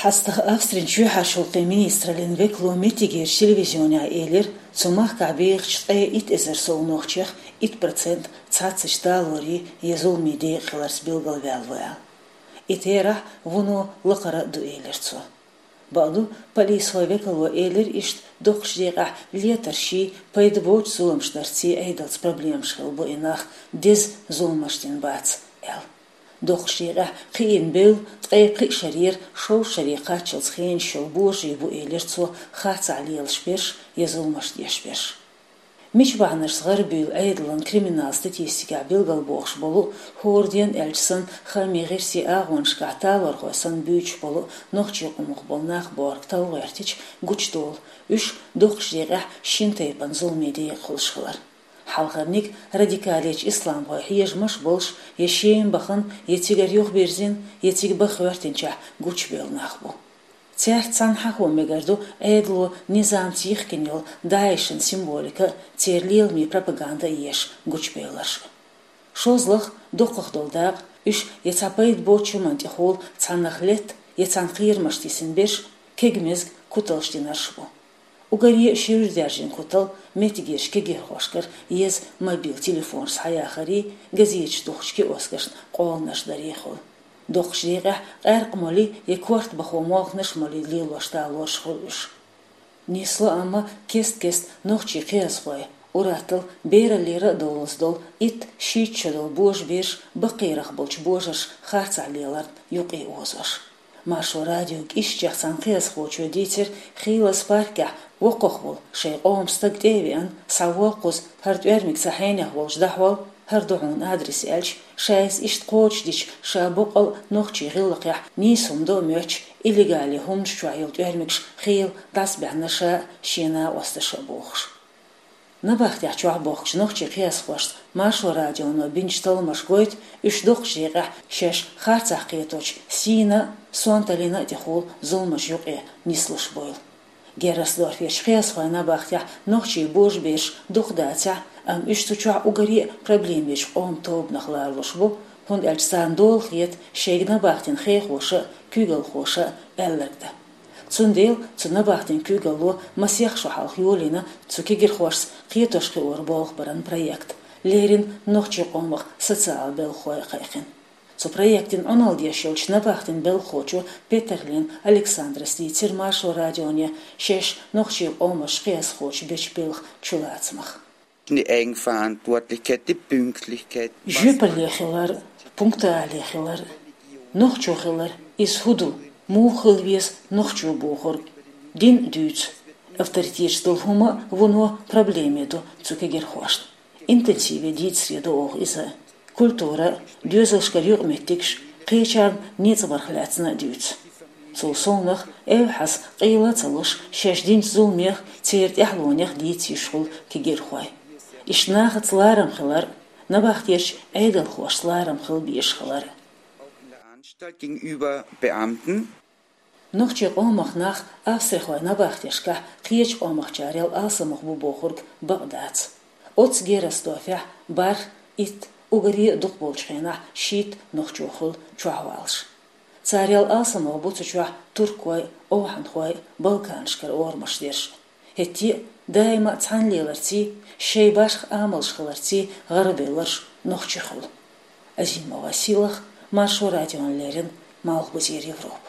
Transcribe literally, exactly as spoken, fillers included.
ХьастагӀа Австрин чоьхьарчу гӀуллакхийн министраллин векало меттигерчу телевизионехь элира, цу махкахь бехачу ткъе итт эзар сов нохчех итт процент цхьацца талорийн я зуламийн декъа хиларца билгалваьлла ву аьлла. И терахь вуно лакхара а ду, элира цо. Бакъду, полисхойн векало элира иштта доккхачу декъехь летаршший, пайда боцчу зуламаш дарций Ӏедалца проблемаш хилла бу и нах, деза зуламаш дина бац аьлла. Доккхачу декъехь кхиийна бевлла ткъе пхи шарера шовзткъа шаре кхаччалц хенаш йолу божарий бу, элира цо, харцахь лелаш берш я зуламаш деш берш. Мича бахьанашца гӀарабуьйлу Ӏедалан криминал статистикехь билгалбохуш болу, хӀора ден аьлча санна, хаамийн гӀирсийн агӀонашкахь талорхой санна буьйцуш болу, нохчийн къомах болу нах борг талла гӀоьртича гучудолу, уьш доккхачу декъехь шина тайпана зуламийн декъа хуьлуш хилар. Хьалхарниг радикалечу исламхойн хьежамаш болуш, я Шема бахана, я цигара юхабирзина, я цига баха хӀоьттинчохь гучубевлла нах бу. Цаьрца цхьаьна хьахо мегар ду Ӏедало низамца йихкина йолу ДАИШан символика а, церан леламийн пропаганда а еш гучубевлларш а. ШозлагӀа, доккхах долу дакъа, уьш я цхьа пайда боцучу хӀуманна тӀехула цхьаннах летта, я цхьаьна кхерамаш тесна берш, кегамезга куталш динарш бу. Уггаре а шуьйра даьржина кутал меттигерчу кегирхошкара еза мобил телефонаш схьаяхарий, газеташ тухучу киоскашна къоланаш дарий хуьлу. Доккхачу декъехь къаьркъа молий я корта бахо молханаш молий лелош талорш хуьлу уьш. Нисло, амма кест-кеста нохчийн кхиазхой, ур-атталла бераллера а довлаза долу итт-шийтта шо долу божабераш баккхийрах болчу божарша харцахь леларна юкъаозош. Маршо радиога ишттачех цхьана кхиазхочо дийцира, Хилас паркехь воккхах волу шайн къоман стаг тӀе а веана, схьаволу кхуза, хӀара тӀоьрмиг сан хьенех волчу дӀахьол, хӀара ду хьуна адрес аьлча, ша иза иштта кхочушдича, ша боккъал а нохчийн гӀиллакхехь нийса хӀума до а моьттуш, иллегале хӀуманаш чохь йолу тӀоьрмигаш хийла дӀасабаьхна ша а, шен накъосташа а бохуш. Набахтехь чохь бохкучу нохчийн кхиазхошца Маршо радионо бинчу талламаша гойту, уьш доккхачу декъехь шаьш харцахь кхеточу сийна а, сонталлина а тӀехула зуламаш юкъа нислуш буйла. Герресдорферчу кхиазхойн набахтехь нохчийн божабераш дукха дацахь а, амма уьш цу чохь уггаре а проблемечу къоман тобанах лоруш бу, хӀунда аьлча царна дола хета шайга набахтин хехоша а, куьйгалхоша а аьлларг дан. Цундела цу набахтин куьйгалло масех шо хьалха йолийна цу кегирхошца кхетош-кхиоран болх баран проект, леррина нохчийн къомах социалан белхахой а кхайкхина. Цу проектан Ӏуналла деш йолчу набахтин белхахочо Петерлин Александрас дийцира Маршо радионе шаьш нохчийн къоман кхиазхочо бечу белхан чулацамах. Die Eigenverantwortlichkeit, die Pünktlichkeit. Жоьпалле хилар, пунктуале хилар, нохчо хилар, иза хӀун ду, муха хила веза нохчо бохург, дин а дуьйцу. Авторитеташ долу хӀума а вуно проблеме ду цу кегирхошна. Интенсиве дийцаре до оха иза. Культура, доьзалшкара юкъаметтигаш, кхечарна ницкъ барх лаьцна а дуьйцу. Цул совнаха, эвхьаза къайла а ца луш, шаьш динчу зуламех, церан тӀаьхьалонех дийца йиш хуьлу кегирхой. Иштта нахаца ларам хилар, набахтечу Ӏедалхошца ларам хила безаш хилар. Auch in der Anstalt gegenüber Beamten. Нохчийн къомах нах австрихойн набахтешкахь кхечу къомахчарел алсамох бу бохург бакъ дац. Оццу Герресдорфехь бархӀ, итт, уггаре а дукхахболчу хенахь шийтта нохчо хуьлу чохь валлаш. Царел алсамох бу цу чохь туркой, овхӀанхой, Балканашкара орамаш дерш. ХӀетте а даима а цхьаьна леларций, шайн башха амалш хиларций гӀарабевлларш нохчий хуьлу. Азимова Силах, Маршо радиона леррина, Малхбузера Европа.